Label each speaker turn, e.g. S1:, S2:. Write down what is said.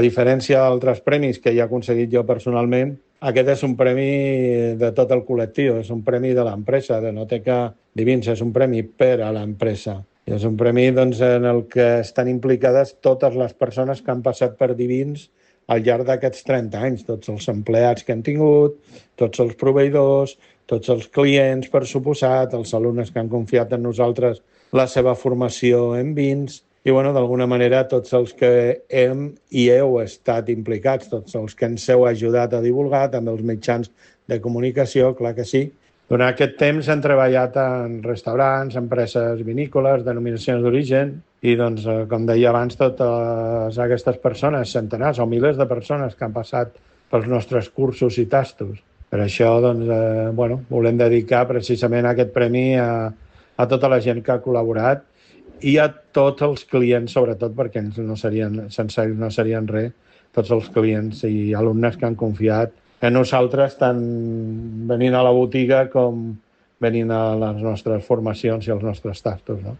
S1: A diferència d'altres premis que he aconseguit jo personalment, aquest és un premi de tot el col·lectiu, és un premi de l'empresa, de Noteca Divins, és un premi per a l'empresa. I és un premi en el que estan implicades totes les persones que han passat per Divins al llarg d'aquests 30 anys, tots els empleats que han tingut, tots els proveïdors, tots els clients, per suposat, els alumnes que han confiat en nosaltres la seva formació en vins, i d'alguna manera tots els que hem i heu estat implicats, tots els que ens heu ajudat a divulgar, també els mitjans de comunicació, clar que sí. Durant aquest temps hem treballat en restaurants, empreses vinícoles, denominacions d'origen, i com deia abans, totes aquestes persones, centenars o milers de persones que han passat pels nostres cursos i tastos. Per això volem dedicar precisament aquest premi a tota la gent que ha col·laborat i a tots els clients, sobretot, perquè sense ells no serien res, tots els clients i alumnes que han confiat en nosaltres, tant venint a la botiga com venint a les nostres formacions i als nostres tastos, no?